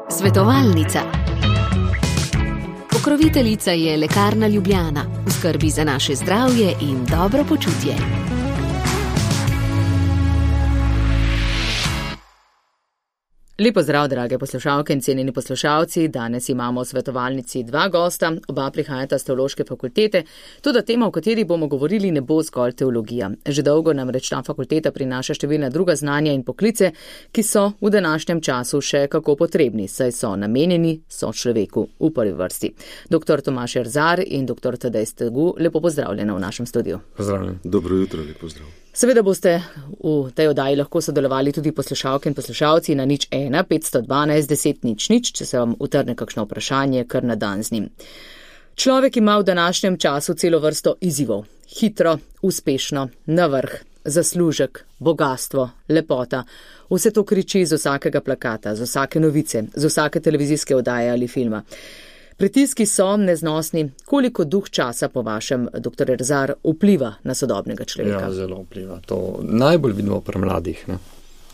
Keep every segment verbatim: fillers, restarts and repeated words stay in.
Svetovalnica. Pokroviteljica je Lekarna Ljubljana, v skrbi za naše zdravje in dobro počutje. Lepo zdrav, drage poslušalke in cenjeni poslušalci. Danes imamo v svetovalnici dva gosta, oba prihajata s teološke fakultete. Toda tema, o kateri bomo govorili, ne bo zgolj teologija. Že dolgo namreč ta fakulteta prinaša številna druga znanja in poklice, ki so v današnjem času še kako potrebni, saj so namenjeni sočloveku v prvi vrsti. Doktor Tomaž Erzar in doktor Tadej Stegu, lepo pozdravljena v našem studiu. Pozdravljen. Dobro jutro, lepo pozdrav. Seveda boste v tej oddaji lahko sodelovali tudi poslušalke in poslušalci na nič ena petsto dvanajst deset nič nič, če se vam utrne kakšno vprašanje, kar na dan z njim. Človek ima v današnjem času celo vrsto izzivov. Hitro, uspešno, na vrh, zaslužek, bogastvo, lepota. Vse to kriči z vsakega plakata, z vsake novice, z vsake televizijske oddaje ali filma. Pritiski so neznosni. Koliko duh časa po vašem, doktor Erzar, vpliva na sodobnega človeka? Ja, zelo vpliva. To najbolj vidimo pri mladih, ne?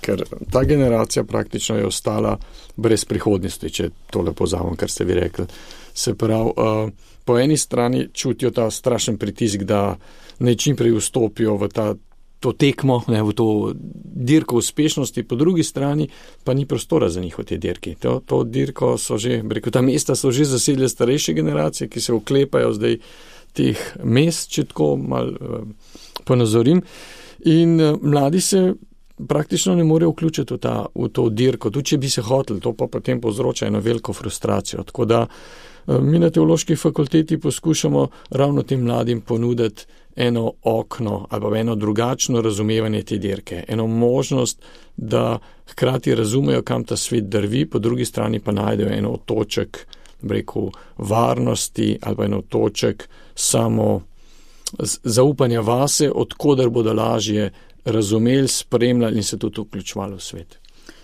Ker ta generacija praktično je ostala brez prihodnosti, če tole pozavim, kar ste vi rekli. Se pravi, uh, po eni strani čutijo ta strašen pritisk, da naj čim prej vstopijo v ta to tekmo, ne, v to dirko uspešnosti, po drugi strani pa ni prostora za njih v tej dirki. To, to dirko so že, rekel, ta mesta so že zasedle starejše generacije, ki se oklepajo zdaj teh mest, če tako malo uh, ponazorim. In uh, mladi se praktično ne morejo vključiti v, ta, v to dirko, tudi če bi se hoteli, to pa potem povzroča eno veliko frustracijo. Tako da uh, mi na teološki fakulteti poskušamo ravno tem mladim ponuditi eno okno ali eno drugačno razumevanje te dirke, eno možnost, da hkrati razumejo, kam ta svet drvi, po drugi strani pa najdejo eno otoček, rekel, varnosti ali pa eno otoček samo zaupanja vase, odkoder bodo lažje razumeli, spremljali in se tudi vključevali v svet.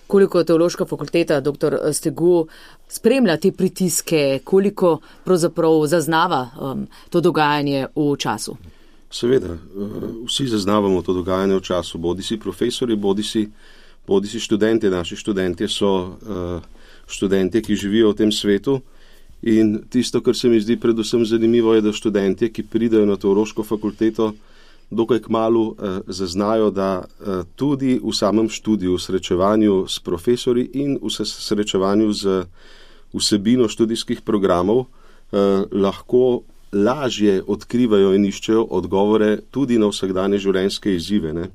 Koliko teološka fakulteta, doktor Stegu, spremlja te pritiske, koliko pravzaprav zaznava um, to dogajanje v času? Seveda, vsi zaznavamo to dogajanje v času, bodi si profesori, bodi si, bodi si študenti. Naši študentje so uh, študentje, ki živijo v tem svetu, in tisto, kar se mi zdi predvsem zanimivo, je, da študentje, ki pridejo na teološko fakulteto, dokaj kmalu uh, zaznajo, da uh, tudi v samem študiju, v srečevanju s profesori in v srečevanju z vsebino študijskih programov uh, lahko lažje odkrivajo in iščejo odgovore tudi na vsakdanje življenjske izzive. Ne?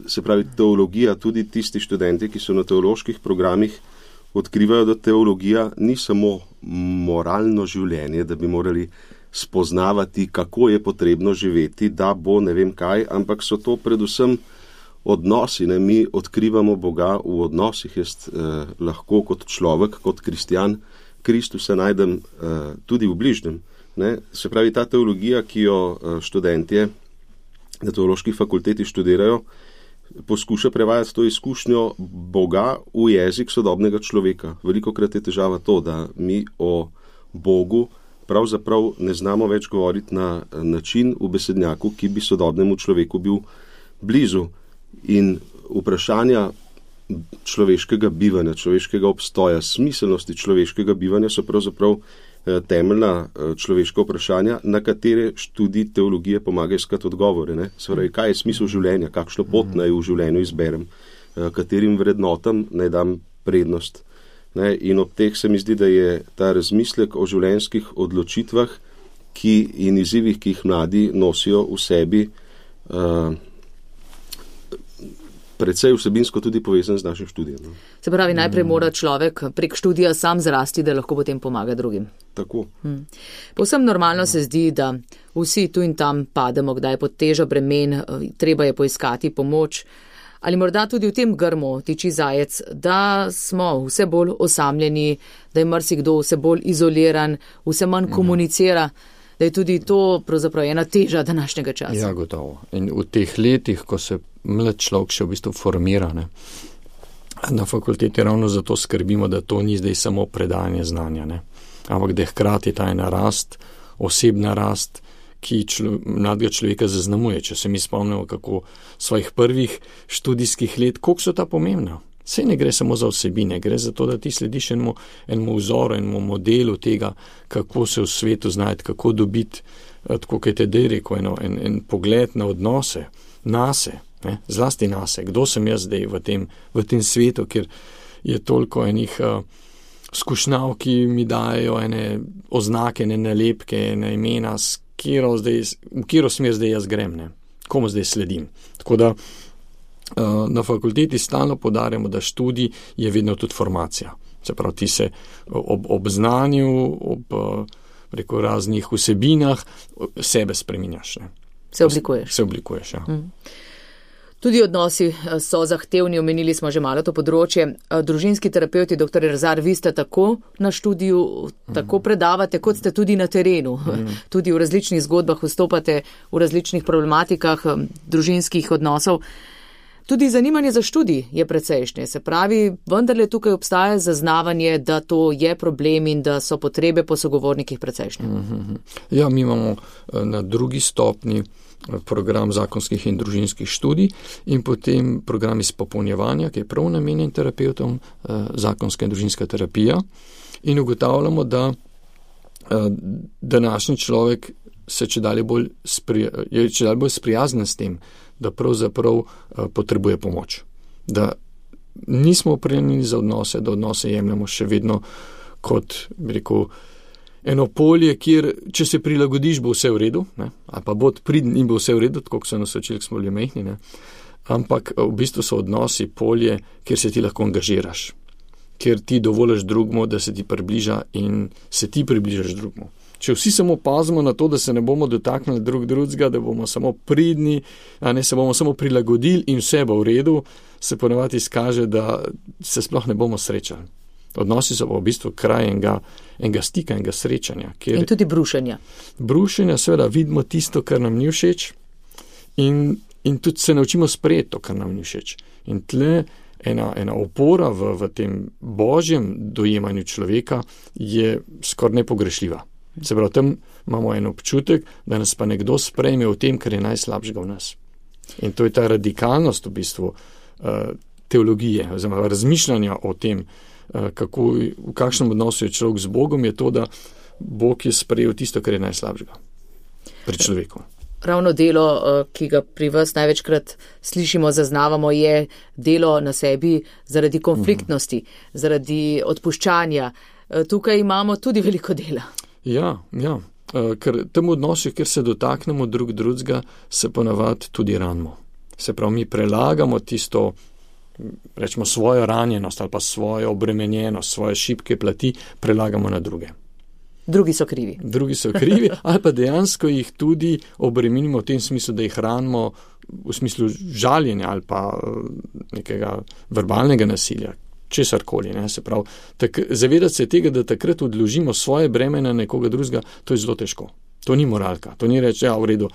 Se pravi, teologija, tudi tisti študenti, ki so na teoloških programih, odkrivajo, da teologija ni samo moralno življenje, da bi morali spoznavati, kako je potrebno živeti, da bo ne vem kaj, ampak so to predvsem odnosi. Ne? Mi odkrivamo Boga v odnosih. Jaz eh, lahko kot človek, kot kristjan, Kristusa najdem eh, tudi v bližnjem. Ne, se pravi, ta teologija, ki jo študentje na teološki fakulteti študirajo, poskuša prevajati to izkušnjo Boga v jezik sodobnega človeka. Velikokrat je težava to, da mi o Bogu pravzaprav ne znamo več govoriti na način v besednjaku, ki bi sodobnemu človeku bil blizu. In vprašanja človeškega bivanja, človeškega obstoja, smiselnosti človeškega bivanja so pravzaprav temeljna človeška vprašanja, na katere študij teologije pomaga iskati odgovore. Ne? Svoj, kaj je smisel življenja, kakšno pot naj v življenju izberem, katerim vrednotam naj dam prednost. Ne? In ob teh se mi zdi, da je ta razmislek o življenjskih odločitvah ki in izzivih, ki jih mladi nosijo v sebi, uh, predvsej vsebinsko tudi povezan z našim študijem. No. Se pravi, najprej mora človek prek študija sam zrasti, da lahko potem pomaga drugim. Tako. Hmm. Povsem normalno se zdi, da vsi tu in tam pademo, kdaj pod težo bremen, treba je poiskati pomoč. Ali morda tudi v tem grmu tiči zajec, da smo vse bolj osamljeni, da je marsikdo vse bolj izoliran, vse manj komunicira, da je tudi to pravzaprav ena teža današnjega časa. Ja, gotovo. In v teh letih, ko se mlad človek še v bistvu formira, ne, na fakulteti ravno zato skrbimo, da to ni zdaj samo predajanje znanja, ne, ampak da je hkrati ta ena rast, osebna rast, ki člo, mladega človeka zaznamuje. Če se mi spomnimo, kako svojih prvih študijskih let, koliko so ta pomembna. Sej ne gre samo za vsebine, gre za to, da ti slediš enemu, enemu vzoru, enemu modelu tega, kako se v svetu znajti, kako dobiti, tako kot je Tadej rekel, eno, en, en pogled na odnose, nase, ne, zlasti nase, kdo sem jaz zdaj v tem, v tem svetu, kjer je toliko enih uh, skušnjav, ki mi dajo ene oznake, ene nalepke, ene imena, s kjero zdaj, v kjero smer zdaj jaz grem, ne, komu zdaj sledim. Tako da na fakulteti stalno podarjamo, da študij je vedno tudi formacija. Se pravi, ti se ob, ob znanju, ob preko raznih vsebinah sebe spreminjaš. Ne? Se oblikuješ. Se oblikuješ, ja. Mm. Tudi odnosi so zahtevni, omenili smo že malo to področje. Družinski terapeuti, doktor Rezar, vi ste tako na študiju, tako mm. predavate, kot ste tudi na terenu. Mm. Tudi v različnih zgodbah vstopate v različnih problematikah družinskih odnosov. Tudi zanimanje za študij je precejšnje, se pravi, vendarle tukaj obstaja zaznavanje, da to je problem in da so potrebe po sogovornikih precejšnje. Mm-hmm. Ja, mi imamo na drugi stopni program zakonskih in družinskih študij in potem program izpopolnjevanja, ki je prav namenjen terapeutom, zakonska in družinska terapija, in ugotavljamo, da današnji človek se čedalje bolj, spri, je čedalje bolj sprijazen s tem, da pravzaprav uh, potrebuje pomoč. Da nismo opremljeni za odnose, da odnose jemljamo še vedno kot, bi rekel, eno polje, kjer, če se prilagodiš, bo vse v redu, ne? Ali pa bod pridn in bo vse v redu, tako kot so nas učili, ko smo bili majhni, ne? Ampak v bistvu so odnosi polje, kjer se ti lahko angažiraš, kjer ti dovoliš drugmu, da se ti približa in se ti približaš drugmu. Če vsi samo pazimo na to, da se ne bomo dotaknili drug drugega, da bomo samo pridni, a ne se bomo samo prilagodili in vse bo v redu, se ponavadi izkaže, da se sploh ne bomo srečali. Odnosi so pa v bistvu kraj enega, enega stika, enega srečanja. Kjer in tudi brušenja. Brušenja, seveda, vidimo tisto, kar nam ni všeč in, in tudi se naučimo sprejeti to, kar nam ni všeč. In tle ena, ena opora v, v tem božjem dojemanju človeka je skoraj nepogrešljiva. Se pravi, tam imamo en občutek, da nas pa nekdo sprejme v tem, kar je najslabšega v nas. In to je ta radikalnost v bistvu uh, teologije, oziroma razmišljanja o tem, uh, kako, v kakšnem odnosu je človek z Bogom, je to, da Bog je sprejel tisto, kar je najslabšega pri človeku. Ravno delo, ki ga pri vas največkrat slišimo, zaznavamo, je delo na sebi zaradi konfliktnosti, uh-huh. zaradi odpuščanja. Tukaj imamo tudi veliko dela. Ja, ja, ker tem odnosu, kjer se dotaknemo drug drugega, se ponavadi tudi ranimo. Se pravi, mi prelagamo tisto, rečemo, svojo ranjenost ali pa svojo obremenjenost, svoje šibke plati, prelagamo na druge. Drugi so krivi. Drugi so krivi, ali pa dejansko jih tudi obremenimo v tem smislu, da jih ranimo v smislu žaljenja ali pa nekega verbalnega nasilja. Česarkoli, ne, se pravi, tak, zavedati se tega, da takrat odložimo svoje breme na nekoga drugega, to je zelo težko. To ni moralka, to ni reči, ja, v redu,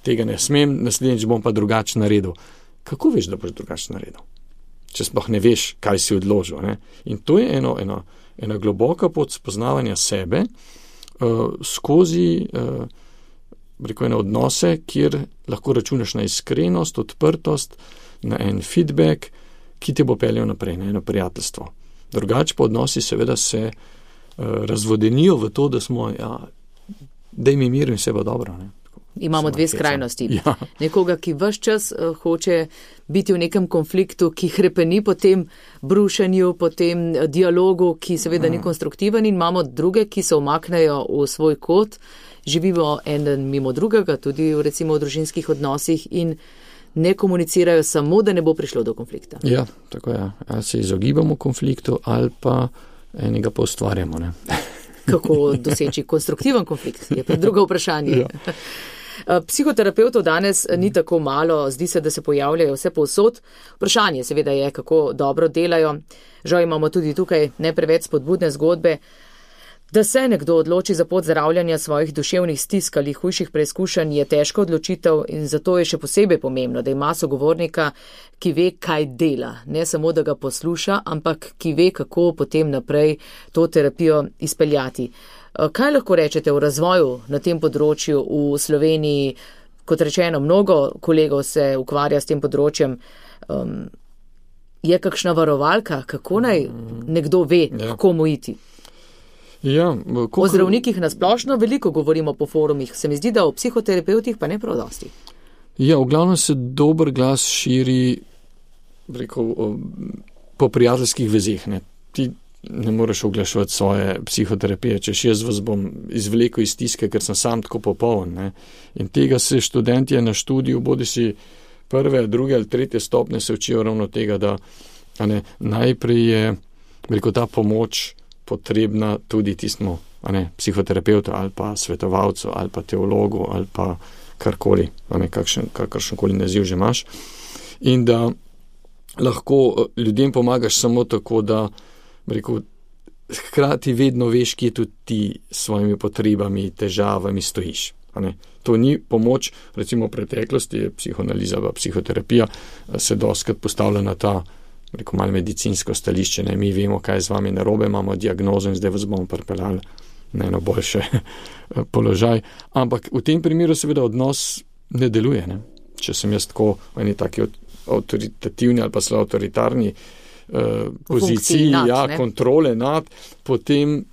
tega ne smem, naslednjič bom pa drugače naredil. Kako veš, da boš drugače naredil? Če sploh ne veš, kaj si odložil, ne? In to je eno, eno, ena globoka pot spoznavanja sebe uh, skozi uh, rekel, ene odnose, kjer lahko računaš na iskrenost, odprtost, na en feedback, ki te bo peljal naprej, na eno prijateljstvo. Drugače pa odnosi seveda se uh, razvodenijo v to, da smo, ja, da im je mir in vse bo dobro. Ne? Imamo dve skrajnosti. Ja. Nekoga, ki ves čas uh, hoče biti v nekem konfliktu, ki hrepeni po tem brušenju, po tem dialogu, ki seveda ni konstruktiven, in imamo druge, ki se umaknejo v svoj kot, živimo en mimo drugega, tudi v, recimo v družinskih odnosih in ne komunicirajo samo, da ne bo prišlo do konflikta. Ja, tako je. Ali se izogibamo konfliktu ali pa enega pa ustvarjamo. Ne? Kako doseči konstruktiven konflikt, je pa drugo vprašanje. Ja. Psihoterapevtov danes ni tako malo, zdi se, da se pojavljajo vse povsod. Vprašanje seveda je, kako dobro delajo. Žal imamo tudi tukaj ne preveč spodbudne zgodbe. Da se nekdo odloči za pot zdravljenja svojih duševnih stisk ali hujših preizkušenj, je težka odločitev in zato je še posebej pomembno, da ima sogovornika, ki ve, kaj dela. Ne samo, da ga posluša, ampak ki ve, kako potem naprej to terapijo izpeljati. Kaj lahko rečete o razvoju na tem področju v Sloveniji? Kot rečeno, mnogo kolegov se ukvarja s tem področjem. Um, Je kakšna varovalka, kako naj nekdo ve, ja. komu iti? Ja, koliko... O zdravnikih nasplošno veliko govorimo po forumih, se mi zdi, da o psihoterapevtih pa ne prav dosti. Ja, v glavnem se dober glas širi rekel, po prijateljskih vezeh. Ne. Ti ne moreš oglaševati svoje psihoterapije, češ jaz vas bom izvlekel iz stiske, ker sem sam tako popoln. Ne. In tega se študentje na študiju, bodi si prve, druge ali tretje stopne, se učijo ravno tega, da ne, najprej je rekel, ta pomoč potrebna tudi tistmu psihoterapeutu ali pa svetovalcu ali pa teologu ali pa karkoli, kakšen, kakršenkoli naziv že imaš. In da lahko ljudem pomagaš samo tako, da rekel, hkrati vedno veš, kje tudi ti s svojimi potrebami, težavami stojiš. To ni pomoč, recimo v preteklosti je psihoanaliza, psihoterapija se dostakrat postavlja na ta rekel, malo medicinsko stališče, ne, mi vemo, kaj je z vami narobe, imamo diagnozo in zdaj vas bomo pripeljali na eno boljše položaj. Ampak v tem primeru seveda odnos ne deluje. Ne. Če sem jaz tako v eni taki avtoritativni ali pa zelo avtoritarni uh, poziciji, nad, ja, kontrole nad, potem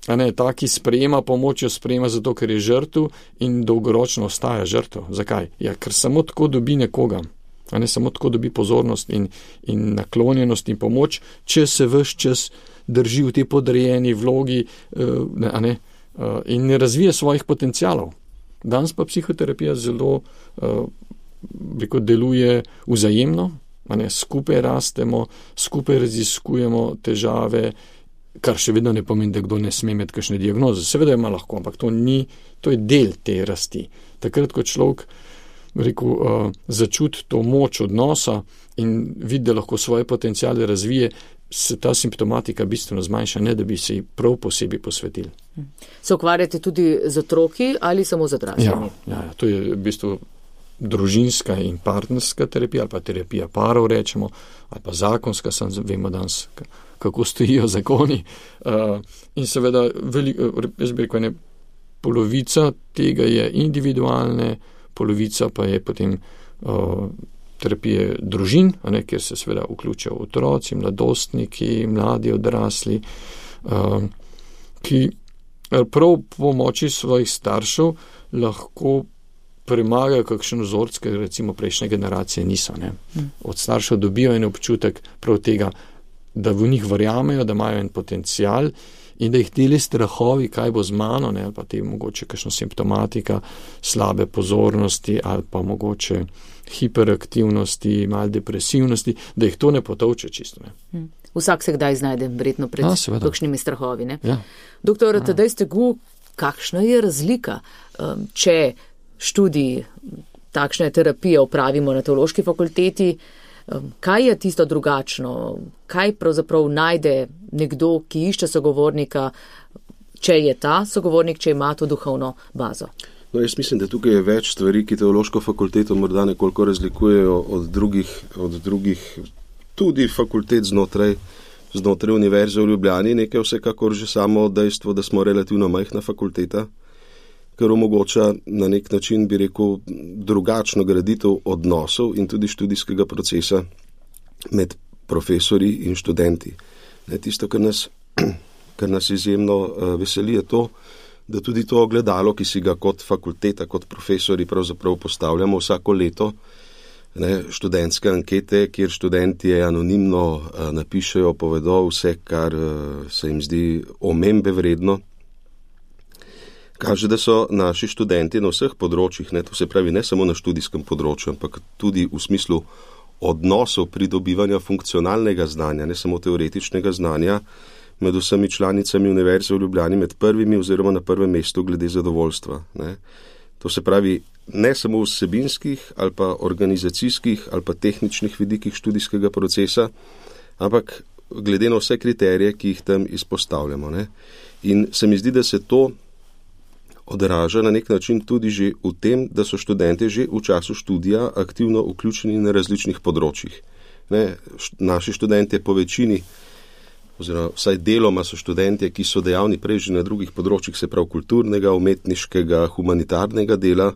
a ne, taki sprejema pomoč, jo sprejema zato, ker je žrtev in dolgoročno ostaja žrtev. Zakaj? Ja, ker samo tako dobi nekoga. A ne samo tako dobi pozornost in, in naklonjenost in pomoč, če se ves čas drži v tej podrejeni vlogi uh, a ne, uh, in ne razvije svojih potencialov. Danes pa psihoterapija zelo uh, rekel, deluje vzajemno, a ne, skupaj rastemo, skupaj raziskujemo težave, kar še vedno ne pomeni, da kdo ne sme imeti kakšne diagnoze. Seveda ima lahko, ampak to ni, to je del te rasti. Takrat, ko človek rekel, uh, začuti to moč odnosa in vidi, da lahko svoje potencijale razvije, se ta simptomatika bistveno zmanjša, ne da bi se ji prav posebej posvetili. Se ukvarjate tudi z otroki ali samo z odraslimi? Ja, ja, to je v bistvu družinska in partnerska terapija, ali pa terapija parov rečemo, ali pa zakonska, sem vemo danes, kako stojijo zakoni. Uh, in seveda, veliko, jaz bi rekel, ne, polovica tega je individualne, polovica pa je potem uh, terapije družin, a ne, kjer se seveda vključijo otroci, mladostniki, mladi odrasli, uh, ki prav pomoči svojih staršev lahko premagajo kakšen vzorc, ker recimo prejšnje generacije niso. Ne. Od staršev dobijo en občutek prav tega, da v njih verjamejo, da imajo en potencial in da jih deli strahovi, kaj bo z mano, ne, ali pa te mogoče kakšna simptomatika, slabe pozornosti ali pa mogoče hiperaktivnosti, malo depresivnosti, da jih to ne potovče čisto. Ne. Hmm. Vsak se kdaj znajde, verjetno pred A, kakšnimi strahovi. Ne? Ja. Doktor ja. Tadej Stegu, kakšna je razlika, um, če študij takšne terapije opravimo na teološki fakulteti, um, kaj je tisto drugačno, kaj pravzaprav najde nekdo, ki išče sogovornika, če je ta sogovornik, če ima to duhovno bazo? No, jaz mislim, da tukaj je več stvari, ki teološko fakulteto morda nekoliko razlikujejo od drugih, od drugih tudi fakultet znotraj, znotraj Univerze v Ljubljani. Nekaj vsekakor že samo dejstvo, da smo relativno majhna fakulteta, ker omogoča na nek način, bi rekel, drugačno graditev odnosov in tudi študijskega procesa med profesorji in študenti. Ne, tisto, kar nas, kar nas izjemno uh, veseli, je to, da tudi to ogledalo, ki si ga kot fakulteta, kot profesori pravzaprav postavljamo vsako leto, ne, študentske ankete, kjer študentje anonimno uh, napišejo, povedo vse, kar uh, se jim zdi omembe vredno, kaže, da so naši študenti na vseh področjih, ne, to se pravi ne samo na študijskem področju, ampak tudi v smislu odnosov pridobivanja funkcionalnega znanja, ne samo teoretičnega znanja, med vsemi članicami Univerze v Ljubljani med prvimi oziroma na prvem mestu glede zadovoljstva. Ne. To se pravi ne samo v vsebinskih ali pa organizacijskih ali pa tehničnih vidikih študijskega procesa, ampak glede na vse kriterije, ki jih tam izpostavljamo. Ne. In se mi zdi, da se to odraža na nek način tudi že v tem, da so študenti že v času študija aktivno vključeni na različnih področjih. Ne, naši študenti po večini, oziroma vsaj deloma so študenti, ki so dejavni prej že na drugih področjih, se prav kulturnega, umetniškega, humanitarnega dela,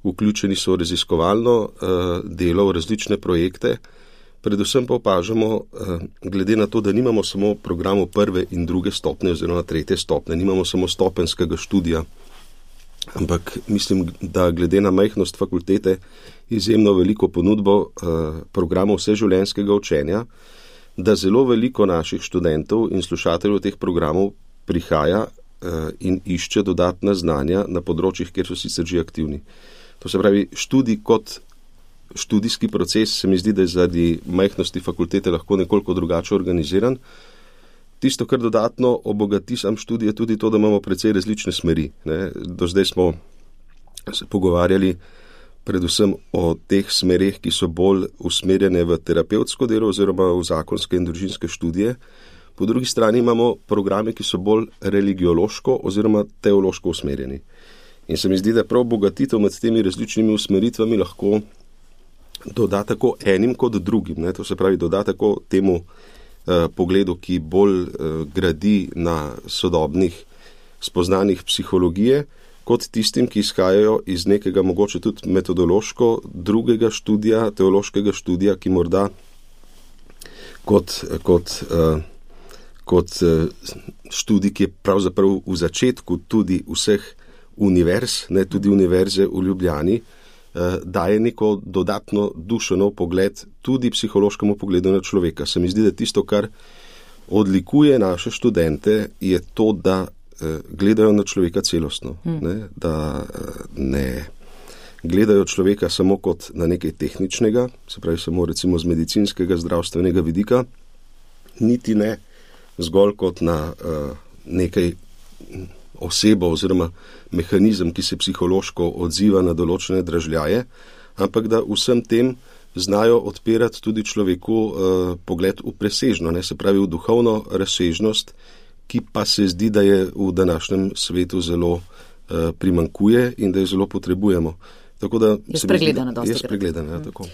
vključeni so v raziskovalno uh, delo, v različne projekte, Predvsem pa opažamo, glede na to, da nimamo samo programov prve in druge stopne oziroma tretje stopne, nimamo samo stopenskega študija, ampak mislim, da glede na majhnost fakultete izjemno veliko ponudbo programov vseživljenjskega učenja, da zelo veliko naših študentov in slušateljev teh programov prihaja in išče dodatna znanja na področjih, kjer so sicer že aktivni. To se pravi, študij kot študijski proces se mi zdi, da je zaradi majhnosti fakultete lahko nekoliko drugače organiziran. Tisto, kar dodatno obogati sam študij, je tudi to, da imamo precej različne smeri. Ne. Do zdaj smo se pogovarjali predvsem o teh smereh, ki so bolj usmerjene v terapevtsko delo oziroma v zakonske in družinske študije. Po drugi strani imamo programe, ki so bolj religiološko oziroma teološko usmerjeni. In se mi zdi, da prav bogatitev med temi različnimi usmeritvami lahko doda tako enim kot drugim. Ne? To se pravi, doda tako temu eh, pogledu, ki bolj eh, gradi na sodobnih spoznanjih psihologije, kot tistim, ki izhajajo iz nekega mogoče tudi metodološko drugega študija, teološkega študija, ki morda kot, kot, eh, kot eh, študij, ki je pravzaprav v začetku tudi vseh univerz, ne tudi univerze v Ljubljani, daje neko dodatno dušeno pogled tudi psihološkemu pogledu na človeka. Se mi zdi, da tisto, kar odlikuje naše študente, je to, da gledajo na človeka celostno. Hmm. Ne? Da ne gledajo človeka samo kot na nekaj tehničnega, se pravi samo recimo z medicinskega, zdravstvenega vidika, niti ne zgolj kot na uh, nekaj osebo oziroma mehanizem, ki se psihološko odziva na določene dražljaje, ampak da vsem tem znajo odpirati tudi človeku eh, pogled v presežno, ne, se pravi v duhovno razsežnost, ki pa se zdi, da je v današnjem svetu zelo eh, primankuje in da jo zelo potrebujemo. Tako da je spregledana dosti. Je spregledana, ja, tako.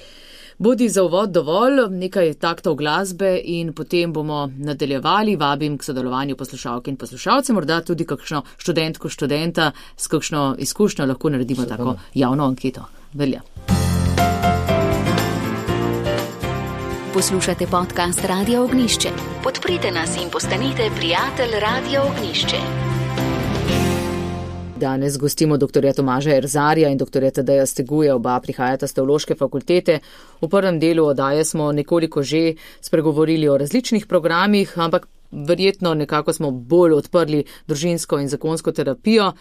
Bodi za uvod dovolj, nekaj taktov glasbe in potem bomo nadaljevali. Vabim k sodelovanju poslušalke in poslušalce, morda tudi kakšno študentko, študenta s kakšno izkušnjo lahko naredimo tako javno anketo. Velja. Poslušate podcast Radio Ognjišče. Podprite nas in postanite prijatelj Radio Ognjišče. Danes gostimo doktorja Tomaža Erzarja in doktorja Tadeja Steguja, oba prihajata z teološke fakultete. V prvem delu oddaje smo nekoliko že spregovorili o različnih programih, ampak verjetno nekako smo bolj odprli družinsko in zakonsko terapijo.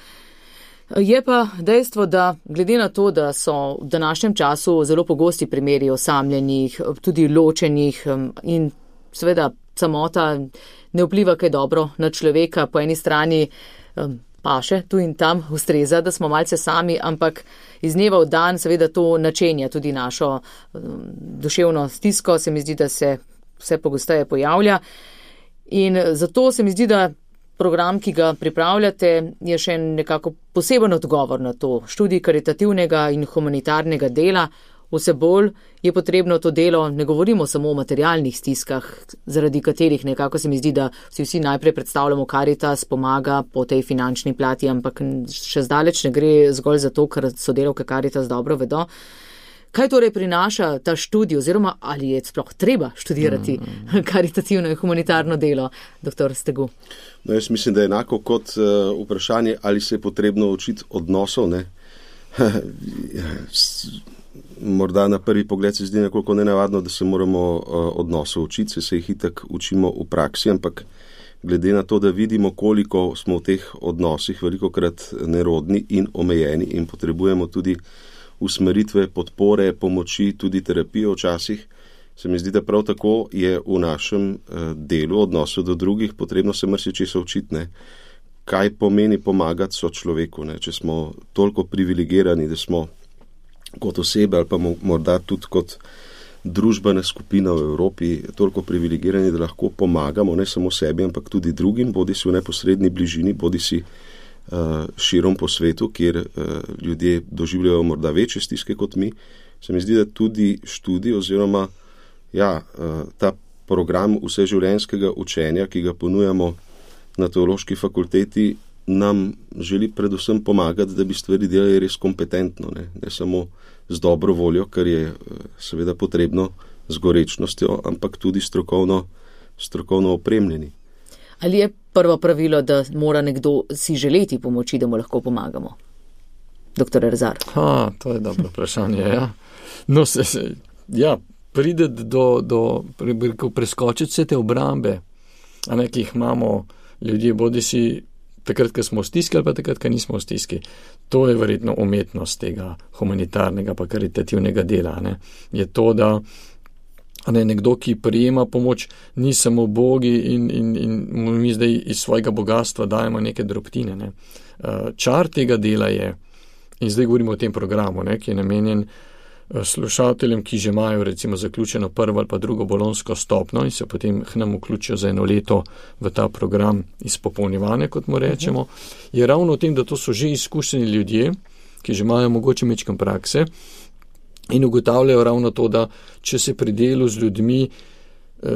Je pa dejstvo, da glede na to, da so v današnjem času zelo pogosti primeri osamljenih, tudi ločenih in seveda samota ne vpliva kaj dobro na človeka, po eni strani paše, tu in tam ustreza, da smo malce sami, ampak iz dneva v dan seveda to načenja tudi našo um, duševno stisko, se mi zdi, da se vse pogosteje pojavlja. In zato se mi zdi, da program, ki ga pripravljate, je še nekako poseben odgovor na to. Študij karitativnega in humanitarnega dela, vse bolj je potrebno to delo, ne govorimo samo o materialnih stiskah, zaradi katerih nekako se mi zdi, da si vsi najprej predstavljamo, Karitas pomaga po tej finančni plati, ampak še zdaleč ne gre zgolj za to, ker sodelavke Karitas dobro vedo. Kaj torej prinaša ta študij oziroma ali je sploh treba študirati mm. karitativno in humanitarno delo, doktor Stegu? No, jaz mislim, da je enako kot uh, vprašanje, ali se je potrebno učiti odnosov, ne? Morda na prvi pogled se zdi nekoliko nenavadno, da se moramo uh, odnosov učiti, se jih itak učimo v praksi, ampak glede na to, da vidimo, koliko smo v teh odnosih velikokrat nerodni in omejeni in potrebujemo tudi usmeritve, podpore, pomoči, tudi terapijo včasih, se mi zdi, da prav tako je v našem uh, delu odnosu do drugih potrebno se marsičesa učiti, ne? Kaj pomeni pomagati sočloveku, ne? Če smo toliko privilegirani, da smo kot osebe ali pa morda tudi kot družbena skupina v Evropi toliko privilegirani, da lahko pomagamo ne samo sebi, ampak tudi drugim, bodi si v neposredni bližini, bodi si uh, širom po svetu, kjer uh, ljudje doživljajo morda večje stiske kot mi. Se mi zdi, da tudi študij oziroma ja, uh, ta program vseživljenjskega učenja, ki ga ponujamo na teološki fakulteti, nam želi predvsem pomagati, da bi stvari delali res kompetentno, ne, ne samo z dobro voljo, kar je seveda potrebno z gorečnostjo, ampak tudi strokovno, strokovno opremljeni. Ali je prvo pravilo, da mora nekdo si želeti pomoči, da mu lahko pomagamo? Doktor Erzar. Ha, to je dobro vprašanje, ja. No, se, se, ja, pride do, do preskočiti vse te obrambe, a ne, ki jih imamo ljudje, bodi si takrat, ko smo v stiski, ali pa takrat, ko nismo v stiski. To je verjetno umetnost tega humanitarnega pa karitativnega dela, ne. Je to, da ne, nekdo, ki prijema pomoč, ni samo bogi in, in, in mi zdaj iz svojega bogatstva dajemo neke drobtine, ne. Čar tega dela je, in zdaj govorimo o tem programu, ne, ki je namenjen slušateljem, ki že imajo recimo zaključeno prvo ali pa drugo bolonjsko stopno in se potem k nam vključijo za eno leto v ta program izpopolnjevanja, kot mu rečemo, uh -huh. je ravno v tem, da to so že izkušeni ljudje, ki že imajo mogoče mečkam prakse in ugotavljajo ravno to, da če se pri delu z ljudmi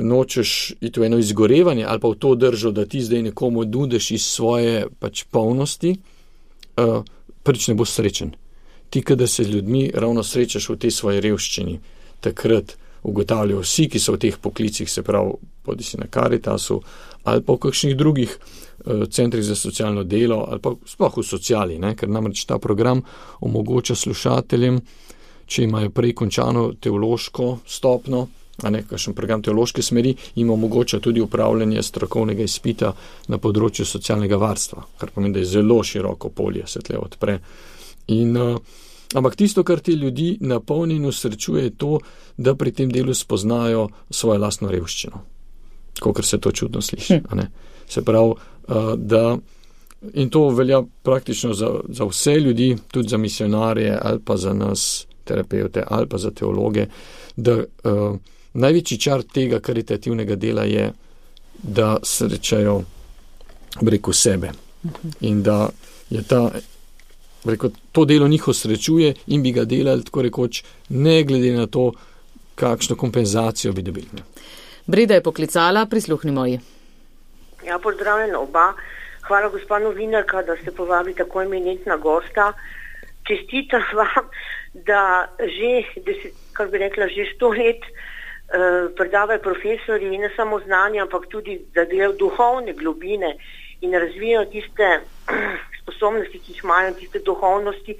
nočeš iti v eno izgorevanje ali pa v to držo, da ti zdaj nekomu nudiš iz svoje pač polnosti, uh, prvič ne boš srečen. Ti, kada se z ljudmi ravno srečaš v tej svoji revščini, takrat ugotavljajo vsi, ki so v teh poklicih, se pravi, bodi si na Caritasu ali pa v kakšnih drugih uh, centrih za socialno delo ali pa sploh v sociali, ne? Ker namreč ta program omogoča slušateljem, če imajo prej končano teološko stopno, a ne kakšen program teološke smeri, jim omogoča tudi upravljanje strokovnega izpita na področju socialnega varstva, kar pomeni, da je zelo široko polje, se tle odpre. In, uh, ampak tisto, kar ti ljudi napolni in usrečuje, je to, da pri tem delu spoznajo svojo lastno revščino. Kakor se to čudno sliši. A ne? Se pravi, uh, da in to velja praktično za, za vse ljudi, tudi za misionarje ali pa za nas terapevte ali pa za teologe, da uh, največji čar tega karitativnega dela je, da srečajo preko sebe. In da je ta Reko, to delo njih osrečuje in bi ga delali tako rekoč, ne glede na to, kakšno kompenzacijo bi dobili. Breda je poklicala, prisluhnimo ji. Ja, pozdravljena oba. Hvala, gospa novinarka, da ste povabili tako eminentna gosta. Čestitam vam, da že, deset, kar bi rekla, že sto let uh, predavajo profesori in ne samo znanje, ampak tudi, da delajo duhovne globine in razvijajo tiste sposobnosti, ki jih imajo, tiste duhovnosti,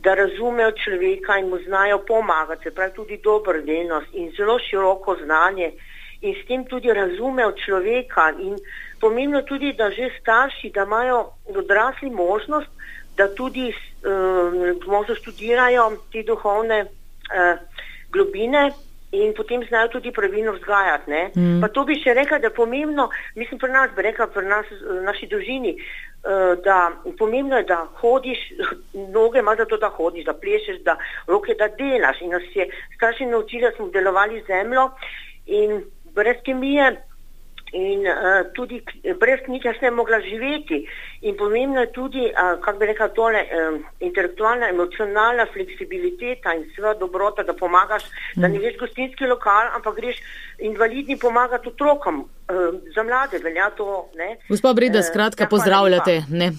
da razumejo človeka in mu znajo pomagati, se pravi tudi dobrodelnost in zelo široko znanje in s tem tudi razumejo človeka in pomembno tudi, da že starši, da imajo odrasli možnost, da tudi uh, možno študirajo te duhovne uh, globine in potem znajo tudi pravilno vzgajati. Ne? Mm. Pa to bi še rekla, da je pomembno, mislim pri nas, bi rekla pri nas, naši družini, da pomembno je, da hodiš, noge ima za to, da hodiš, da plešeš, da roke, da delaš. In nas je starši naučili, da smo delovali zemljo in brez kemije in uh, tudi brez knjige ne mogla živeti. In pomembno je tudi, uh, kako bi rekla tole, um, intelektualna, emocionalna fleksibiliteta in seveda dobrota, da pomagaš, mm. da ne greš gostinski lokal, ampak greš invalidni pomagati otrokom. Uh, za mlade velja to. Ne? Gospod Breda, skratka, uh, pozdravljate ne?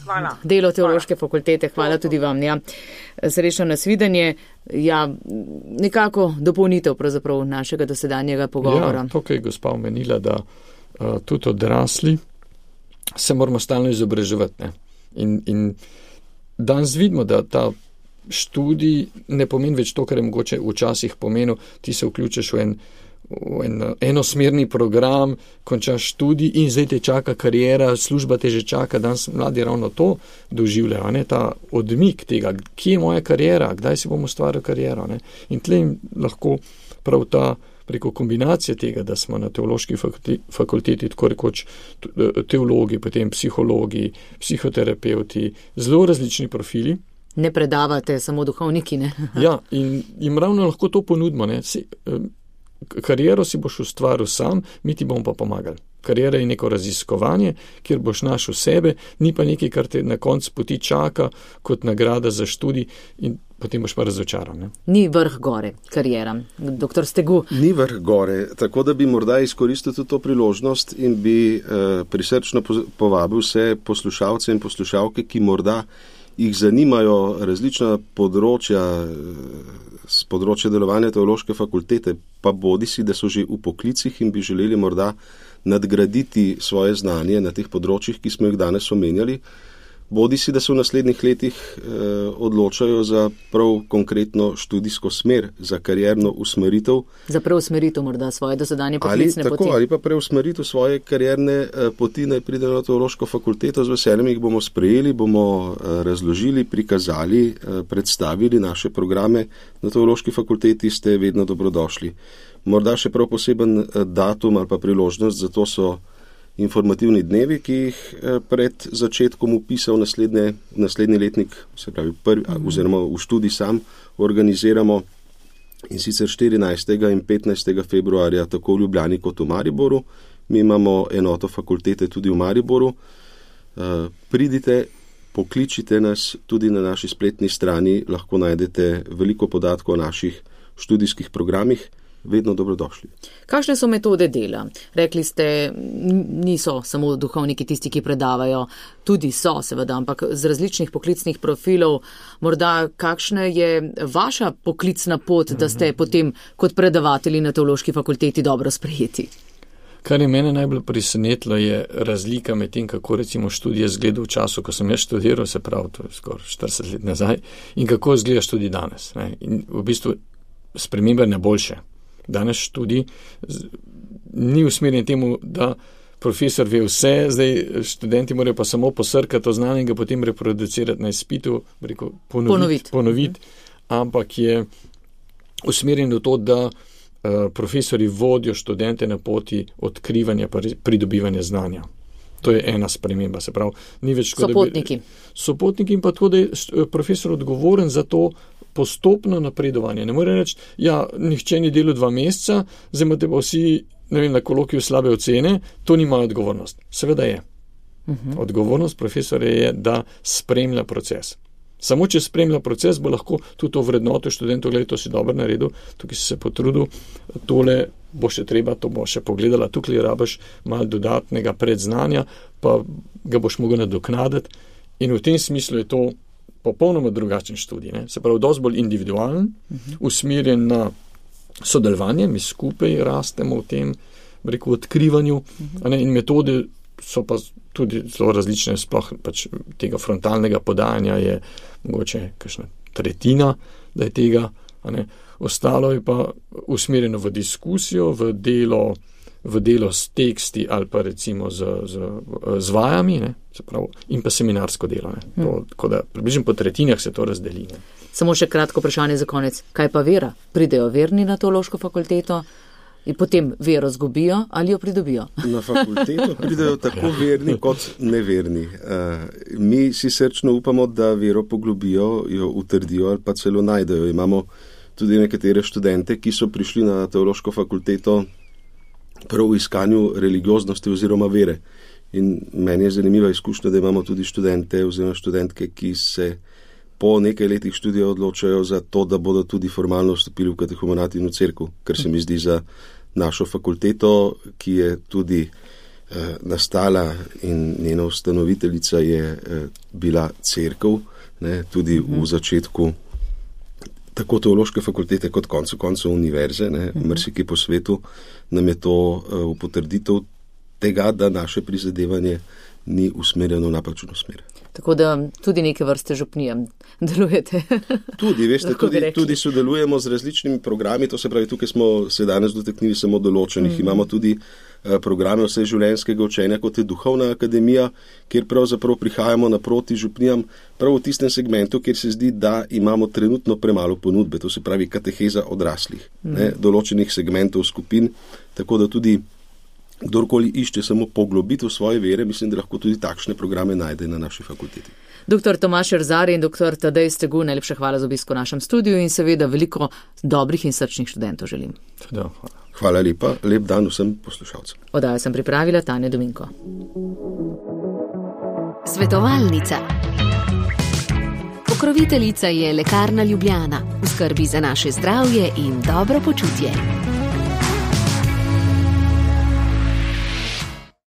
Delo teološke hvala. Fakultete. Hvala tudi vam. Ja. Srečno nasvidenje. Ja, nekako dopolnitev pravzaprav našega dosedanjega pogovora. Ja, to, kaj je gospa omenila, da Uh, tudi odrasli se moramo stalno izobraževati. Ne? In, in danes vidimo, da ta študij ne pomeni več to, kar je mogoče včasih pomenil, ti se vključiš v en, v en enosmerni program, končaš študij in zdaj te čaka karijera, služba te že čaka, danes mladi ravno to doživljajo, ne? Ta odmik tega, kje je moja karijera, kdaj si bom ustvaril kariero. Ne? In tle jim lahko prav ta preko kombinacije tega, da smo na teološki fakulteti tako rekoč teologi, potem psihologi, psihoterapeuti, zelo različni profili. Ne predavate samo duhovniki, ne? Ja, in jim ravno lahko to ponudimo. Ne? Si, kariero si boš ustvaril sam, mi ti bomo pa pomagali. Karijera je neko raziskovanje, kjer boš našel sebe, ni pa nekaj, kar te na koncu poti čaka kot nagrada za študij in potem boš pa razočaran. Ne? Ni vrh gore karijera. Doktor Stegu. Ni vrh gore, tako da bi morda izkoristil tudi to priložnost in bi uh, prisrčno povabil vse poslušalce in poslušalke, ki morda jih zanimajo različna področja z področja delovanja teološke fakultete, pa bodi si, da so že v poklicih in bi želeli morda nadgraditi svoje znanje na teh področjih, ki smo jih danes omenjali, bodi si, da se v naslednjih letih eh, odločajo za prav konkretno študijsko smer, za karierno usmeritev. Za preusmeritev morda svoje dosedanje poklicne ali, poti. Tako, ali pa preusmeritev svoje karierne eh, poti, naj pride na teološko fakulteto, z veseljem jih bomo sprejeli, bomo eh, razložili, prikazali, eh, predstavili naše programe. Na teološki fakulteti ste vedno dobrodošli. Morda še prav poseben eh, datum ali pa priložnost, zato so informativni dnevi, ki jih pred začetkom vpisa v naslednje, naslednji letnik, se pravi prvi, mm. oziroma v študij sam organiziramo, in sicer štirinajstega in petnajstega februarja tako v Ljubljani kot v Mariboru. Mi imamo enoto fakultete tudi v Mariboru. Pridite, pokličite nas, tudi na naši spletni strani lahko najdete veliko podatkov o naših študijskih programih. Vedno dobrodošli. Kakšne so metode dela? Rekli ste, niso samo duhovniki tisti, ki predavajo, tudi so seveda, ampak z različnih poklicnih profilov. Morda kakšna je vaša poklicna pot, da ste potem kot predavatelji na teološki fakulteti dobro sprejeti? Kar je mene najbolj presenetilo, je razlika med tem, kako recimo študij izgleda v času, ko sem jaz študiral, se pravi, to je skoraj štirideset let nazaj, in kako izgleda študij danes. Ne? In v bistvu spremembe na boljše. Danes študij ni usmerjen temu, da profesor ve vse, zdaj študenti morajo pa samo posrkati to znanje in ga potem reproducirati na izpitu, rekel, ponoviti, ponoviti. ponoviti, ampak je usmerjen v to, da uh, profesori vodijo študente na poti odkrivanja pa pridobivanja znanja. To je ena sprememba, se pravi, ni več tako, sopotniki. Da bi, sopotniki in pa tako, da je profesor odgovoren za to postopno napredovanje. Ne more reči, ja, nihče ni delal dva meseca, zdaj imate pa vsi, ne vem, na kolokviju slabe ocene, to ni moja odgovornost. Seveda je. Uh-huh. Odgovornost profesora je, da spremlja proces. Samo če spremlja proces, bo lahko tudi to vrednoto študentov, gledaj, to si dobro naredil, tukaj si se potrudil, tole bo še treba, to bo še pogledala, tukaj rabiš malo dodatnega predznanja, pa ga boš mogel nadoknaditi in v tem smislu je to popolnoma drugačen študij. Ne? Se pravi, dosti bolj individualen, uh-huh. usmerjen na sodelovanje, mi skupaj rastemo v tem, rekel, odkrivanju, uh-huh. ne? In metode so pa tudi zelo različne, sploh pač tega frontalnega podajanja je mogoče kakšna tretjina, da je tega, ne? Ostalo je pa usmerjeno v diskusijo, v delo, v delo s teksti ali pa recimo z, z, z vajami, ne? Se pravi, in pa seminarsko delo. Ne? To, hmm. Tako da približno po tretjinah se to razdeli. Ne? Samo še kratko vprašanje za konec. Kaj pa vera? Pridejo verni na teološko fakulteto in potem vero zgubijo ali jo pridobijo? Na fakulteto pridejo tako verni kot neverni. Uh, mi si srčno upamo, da vero poglobijo, jo utrdijo ali pa celo najdejo. Imamo tudi nekatere študente, ki so prišli na teološko fakulteto prav v iskanju religioznosti oziroma vere. In meni je zanimiva izkušnja, da imamo tudi študente oziroma študentke, ki se po nekaj letih študija odločajo za to, da bodo tudi formalno vstopili v katehumenat in v cerkev, kar se mi zdi za našo fakulteto, ki je tudi eh, nastala in njena ustanoviteljica je eh, bila cerkev, ne, tudi v začetku tako teološke fakultete kot koncu koncev univerze, ne, marsikje po svetu, nam je to uh, v potrditev tega, da naše prizadevanje ni usmerjeno v napačno smer. Tako da tudi neke vrste župnijem delujete. Tudi, veste, tudi, tudi sodelujemo z različnimi programi, to se pravi, tukaj smo se danes dotaknili samo določenih. Mm-hmm. Imamo tudi uh, programe vseživljenjskega učenja, kot je Duhovna akademija, kjer pravzaprav prihajamo naproti župnijam, prav v tistem segmentu, kjer se zdi, da imamo trenutno premalo ponudbe, to se pravi kateheza odraslih, mm-hmm. ne, določenih segmentov skupin, tako da tudi kdorkoli išče samo poglobitev svoje vere, mislim, da lahko tudi takšne programe najde na naši fakulteti. Doktor Tomaž Erzar in doktor Tadej Stegu, najlepša hvala za obisko v našem studiu in seveda veliko dobrih in srčnih študentov želim. Teda, hvala. Hvala lepa, lep dan vsem poslušalcem. Oddajo sem pripravila Tanja Dominko. Svetovalnica. Pokroviteljica je Lekarna Ljubljana, v skrbi za naše zdravje in dobro počutje.